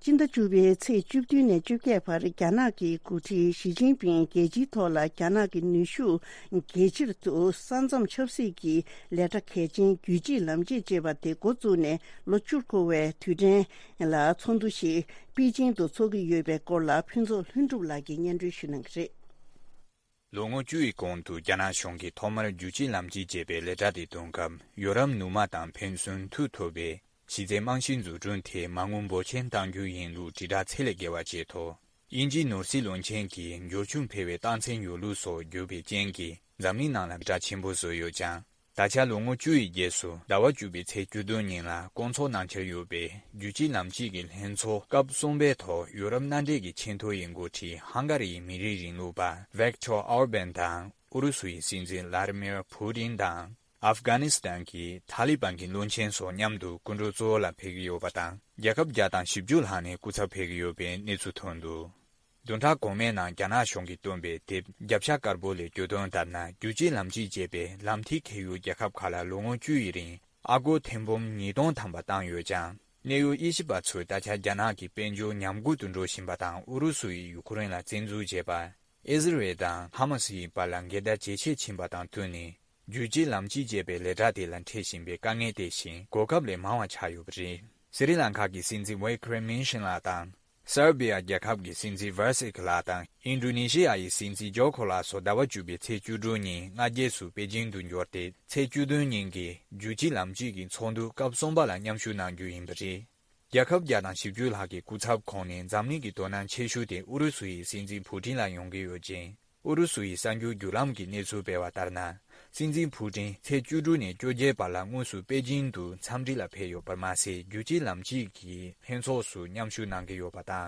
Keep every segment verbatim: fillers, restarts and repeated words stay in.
진짜 주변에 제 주변에 주게 바리 가나기 구티 시진핑 계지토라 가나기 뉴슈 계지르도 산점 첩시기 레터 계진 규지 남지 제바데 고주네 로출코웨 투데 라 촌두시 비징도 소기 예배 꼴라 핀조 흔줄라기 년주시는 그래 롱어 주의 공도 야나숑기 토마르 규지 남지 제베 레자디 동감 요람 누마당 펜순 투토베 시제 망신주 준테 망원보 첸당규 인루 지다 첼레게와 제토 인지 노실론 첸기 요충 폐회 단첸 요루소 요베 젠기 잠리나나 자친보소 요장 다자 롱어 주의 예수 나와 주비 체주도니라 공초 난체 요베 유지 남지길 hen소 갑송베토 유럽 난데기 첸토 인고티 한가리 미리린루바 벡터 얼벤당 우루스위 신진 라르미르 푸딘당 아프가니스탄 की तालिबान की लोंचेन सो न्यामदु कुंड्रोजोला फेगियो बातां याकब जातां शिबजुल हाने कुछ फेगियो बे नेचुथोंदु दोंथा गोमेना ज्ञाना शोंगी तोंबे टिप जपशा करबोले जोदों ताना जुजी लामजी जेबे लामथि खेयु याकब खाला लोंगो जुइरिं आगो थेंबोम निदों थांबातां योजां नेयु इशिबा छु दाचा ज्ञाना की पेंजो न्यामगु दुंड्रो शिंबातां उरुसुई युक्रेनला जेंजु जेबा इजराइलदा हामासी बालांगेदा जेचे छिंबातां तुनी जुजी लामजी जेबे लेजादे लंथेशिंबे कांगे देशिं गोकबले मावा छायुब्री श्रीलंका की सिंजी वे क्रेमेशन लातां सर्बिया याकब की सिंजी वर्सिक लातां इंडोनेशिया की सिंजी जोखोला सोदावा जुबे छेजुदुनी नाजेसु बेजिंग दुन्योते छेजुदुनी की जुजी लामजी की छोंदु कबसोंबाला न्यामशु नांगुइंब्री याकब यादां शिबजुला की कुछाब खोने जामनी की दोनां छेशुदे उरुसुई सिंजी पुटिला योंगे योजिं उरुसुई सांगु युलाम की नेसु बेवातारना सिंजी पुटिन छेजुदुने जोजे बाला मुसु बेजिंदु 참지라 페요 परमासे युजी लामजी की हेंसोसु न्यामशु नांगेयो बाता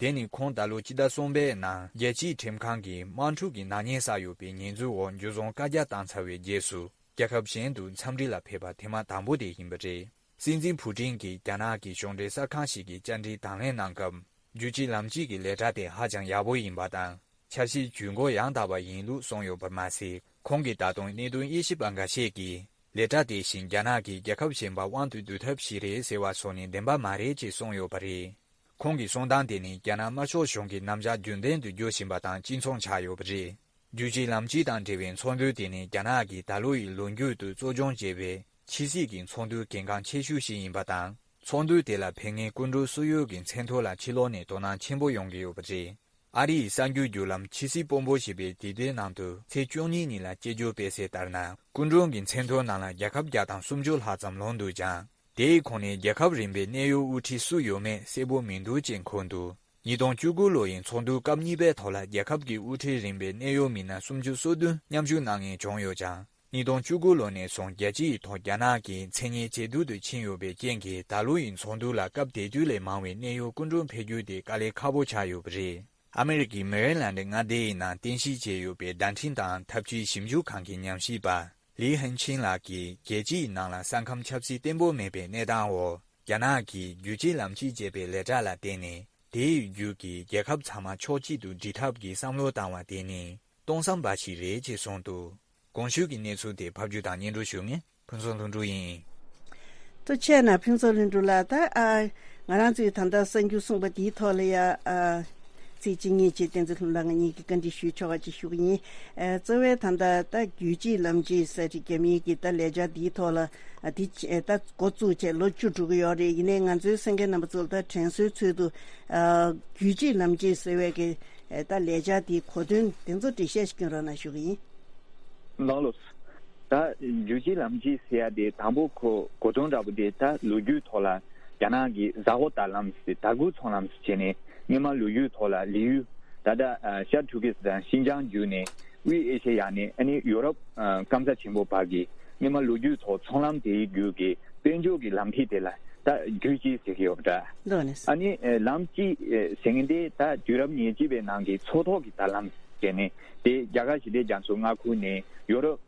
देनी खोंदालो जिदा सोंबे ना येजी टेमखां की मानठु की नानेसायो बे निंजु वन जुजों काजा तांसावे जेसु याकब शेंदु 참지라 페바 테마 담보데 힘버제 सिंजी पुटिन की जाना की शोंदे साखांशी की जानरी तांले नांगम युजी लामजी की लेजादे हाजां याबो इंबाता 차시 중고 양다바 인루 송요 버마시 공기 다동 니둔 이십안가 시기 레타 대신 야나기 야컵신바 완두 두탑시레 세와 소니 덴바 마레지 송요 버리 공기 송당데니 야나 마쇼 숑기 남자 준덴두 요신바당 진송 차요 버리 유지 남지당 대변 총두데니 야나기 달로이 론규두 조종 제베 치시긴 총두 건강 체슈시 인바당 총두데라 팽의 군루 수요긴 센토라 치로네 도난 침보 용기요 버리 아리 상규 유람 치시 뽐보시베 디데 남도 세종니니라 제조 베세 따르나 군종긴 센토나라 야캅 야당 숨줄 하잠 론두자 데이콘의 야캅 림베 네요 우티 수요메 세보 민두 진콘두 이동 주구로인 총두 깜니베 토라 야캅기 우티 림베 네요 미나 숨주 소두 냠주낭의 종요자 이동 주구로네 송 예지 토야나기 체니 제두의 친요베 겐기 달루인 총두라 깝데줄레 마웨 네요 군종 폐규데 깔레 카보차요브리 아메리키 메릴랜드 나데이나 딘시제요베 단틴당 탑지 심주 칸기 냠시바 리헨친라기 계지 나라 상캄 찹시 템보메베 네다오 야나기 유지람지 제베 레자라 데니 데유기 예캅 참마 초지두 디탑기 삼로다와 데니 동상바시 레지송도 공슈기 내수데 밥주다 년도쇼미 분선동주인 또 체나 평소른줄라다 아 나란지 단다 생규 송바 디톨이야 아 지진이 지된지 흘랑이 건디需求가 지슈니 에 저외 단다 다 규지 람지 서지게미기 다 레자 디톨라 디에다 고주제 로주주고요리 이내 간주 생게 넘어zul다 전수츠도 어 규지 람지 서외게 다 레자 디 코든 된저 디셰시기로나 슈기 나로스 다 규지 람지 세야데 담보코 고정잡데 다 로주 톨라 야나기 자고탈람스 다구 촌람스 제네 니마 루유 톨라 리유 다다 샤투기스단 신장주네 위 에시아네 아니 유럽 감자 침보 바기 니마 루유 토 촌람데 규게 벤조기 람티데라 다 규지 세기옵다 아니 람지 생인데 다 유럽 니지베 난게 초토기 달람 제네 데 야가시데 장소가 쿠네 유럽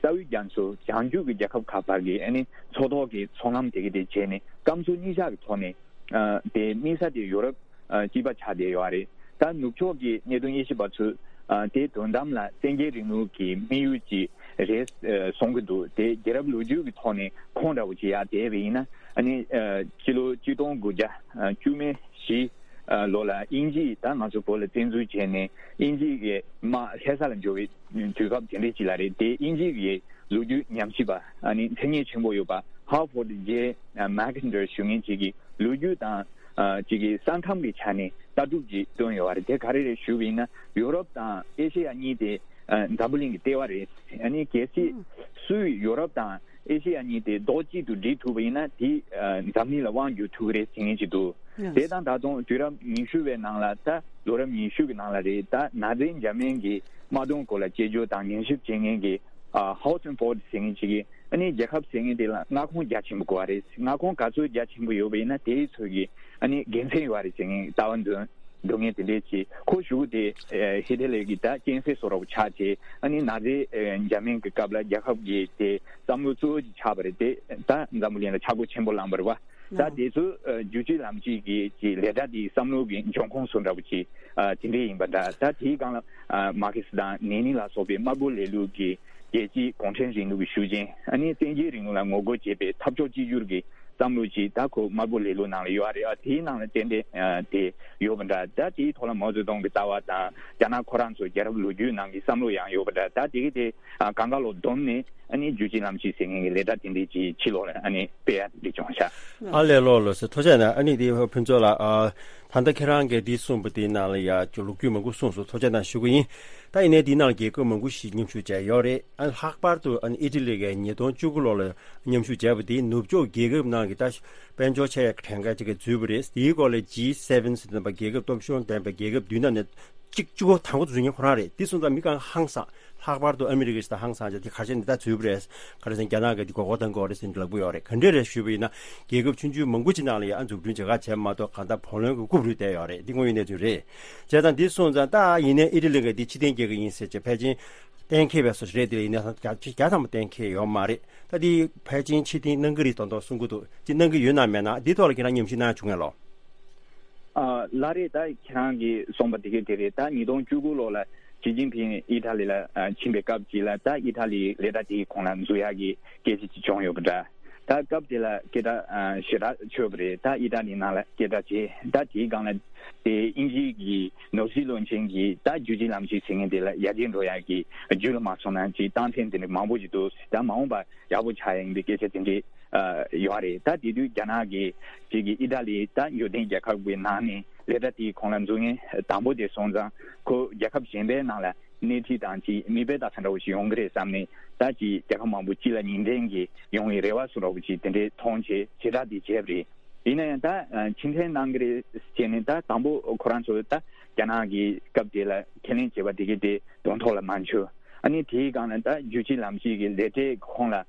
사위 장소 장주기 자컵 카바기 아니 초토기 촌람데게 제네 감소니샤기 토네 데 미사디 유럽 지바 차대요아리 단 누초기 내동 이십바츠 데 돈담라 생계리누기 미유지 res songdu de gerab luju gi thone khonda uji ya devina ani kilo jidong guja jume shi lola inji ta ma zo pole tenzu chene inji ge ma hesalan jowi jugab jende chilare de inji ge luju nyamchi ba ani thenye chimbo yo ba Harvard je Mackinder shungin chigi luju ta chigi sankham bi chane taduji don yo are de garere shubina Europe ta Asia ni de doubling teware ani kesi su Europe ta Asia ni de doji du di tu bina di damni la wang yu tu re singin ji du de dan da dong jura min shu we nang la ta lo re min shu nang la de ta na de jamen gi ma dong ko la je jo dang yin shi jing gi Houghton Ford singing chigi ani Jacob singing de la nga khong ja chim ko are nga khong ka su ja chim yo be na de chogi ani gense wari singing tawan de dongye de chi ko shu de hidele gi ta gense so ro cha che ani na de jamin ke kabla Jacob gi de samu su cha bare de ta zamulien la cha go chim bo lam bar wa ta de su juji lam ji gi ji le da di samlo gi jong khong sun ra bu chi tin de yin ba da ta thi gang la markets da ni ni la so be ma bu le lu gi 예지 공천진도 수진 아니 땡지링을 먹고 집에 탑조지주르기 담루지 다고 마블레로 나요 아래 티나는 텐데 데 요번다 다티 토라 모즈동 비타와다 자나 코란소 제르블루주 나기 삼로양 요번다 다티게 강가로 돈네 아니 주진남치 생행에 레다 텐데지 치로네 아니 베야 리종샤 알레로로스 토제나 아니 디 편조라 아 단다케랑게 디숨부디나리아 줄루규먼고 손소 토제나 슈구인 다이네 디나게 거먼고 시님슈제 요레 안 학바르도 안 이틀리게 니돈 주글로레 님슈제부디 누브조 게급나게 다시 벤조체 탱가지게 주브리스 이걸레 지 세븐 스는바 게급 돔쇼 댐바 게급 뒤나네 찍주고 당고 중에 호라레 디순다 미간 항상 학바르도 아메리카에서 항상 이제 가진다 주브레스 그래서 게나게 디고 어떤 거를 생각하고요래 근데레 슈비나 계급 춘주 멍구지나리 안주분 제가 제마도 간다 보는 거 구부리 돼요래 딩고인의 줄에 제단 디순자 다 이내 일일게 디치된 계획이 있었지 배진 땡케베서 레디에 있는 같이 가서 땡케 요 말이 다디 배진 치디 능거리 돈도 순구도 진능 그 유나면아 디도르기나 님시나 중요로 아 라레다 키랑기 somebody 데레다 니동 주구로라 지진핑 이탈리라 침베갑지라다 이탈리 레다티 콘란주야기 게지지 종요보다 다 갑딜라 게다 시라 초브레 다 이다니나라 게다지 다티 강라 데 인지기 노실론칭기 다 주지람지 생인데라 야진로야기 줄마소난지 단텐데 마보지도 다 마음바 야부차행데 게제든지 요아레 다 디두 자나기 지기 이달리 다 요된 자카부에 나니 레다티 콘란중에 담보데 손자 고 야캅 신베 나라 네티 단지 미베다 산도시 용그레 삼니 다지 자카마부 지라 닌덴기 용이 레와스로부지 텐데 통제 제라디 제브리 이네다 친텐 난그레 스체네다 담보 코란소다 자나기 갑딜라 켄린 제바디게데 돈톨라 만초 아니 디가나다 유지람시기 레테 콘라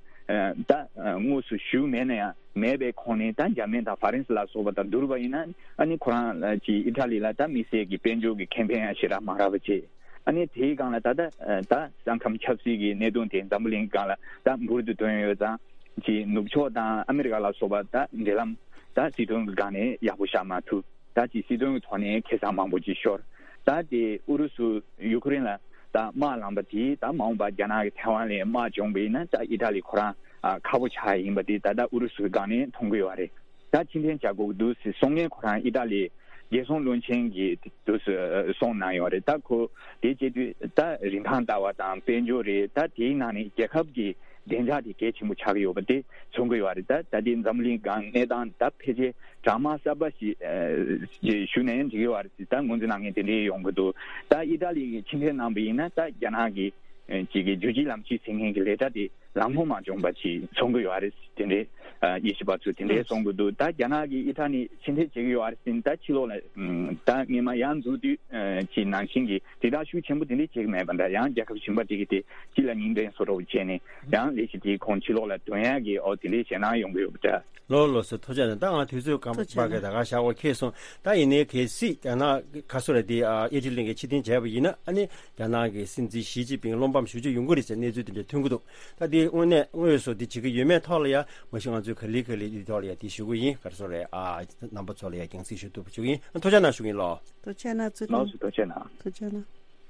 다 무수 슈메네야 메베 코네 단자멘다 파렌스라 소바다 두르바이나 아니 코란 지 이탈리라다 미세기 벤조기 캠페인 하시라 마라버지 아니 대강라 다다 다 상컴 첩시기 내돈된 담블링가라 다 무르드 돈여자 지 누초다 아메리카라 소바다 인데람 다 지동 간에 야부샤마투 다지 시동 돈에 계산망보지 쇼 다디 우르수 우크라이나 다 마람바티 다 마음바 자나게 태완레 마 정베나 다 이탈리 코란 아 카부차임바디 다다 우르수 간에 통고요아레 다今天 자고도 송년 코란 이탈리 예송 론칭기 도스 송나요레 다코 데제디 다 림판다와다 벤조레 다 디나니 제캅기 덴자디 게치무 차기요바데 송고요아레다 다딘 잠링 간 내단 다 페제 드라마 사바시 슈네엔 지요아르티 다 문진앙에 데리 용거도 다 이달리 침현 남비나 다 야나기 지게 주지람치 생행기 레다디 람호마 정바치 송고요아레스 데네 이십바츠 데네 송고도 다 야나기 이타니 신체 지요아르신 다 치로네 다 미마 양주디 지난신기 디다슈 전부 데네 지메반다 양 자급 신바디기데 지라닌데 소로 제네 양 리시디 콘치로라 돈야기 어디리 제나 용고요부터 로로스 토자는 땅아 뒤수 감바게다가 샤워 계속 다이네 계시 야나 가소레디 아 예질링게 치딘 제부이나 아니 야나게 신지 시지빙 롬밤 슈지 용거리세 내주들이 통구도 다디 오늘 오여서 디 지금 유명 털이야 뭐시간 주 클릭클리 디털이야 디슈고이 가소레 아 넘버 털이야 경시슈도 부주이 토자나 슈기로 토자나 나우스 토자나 토자나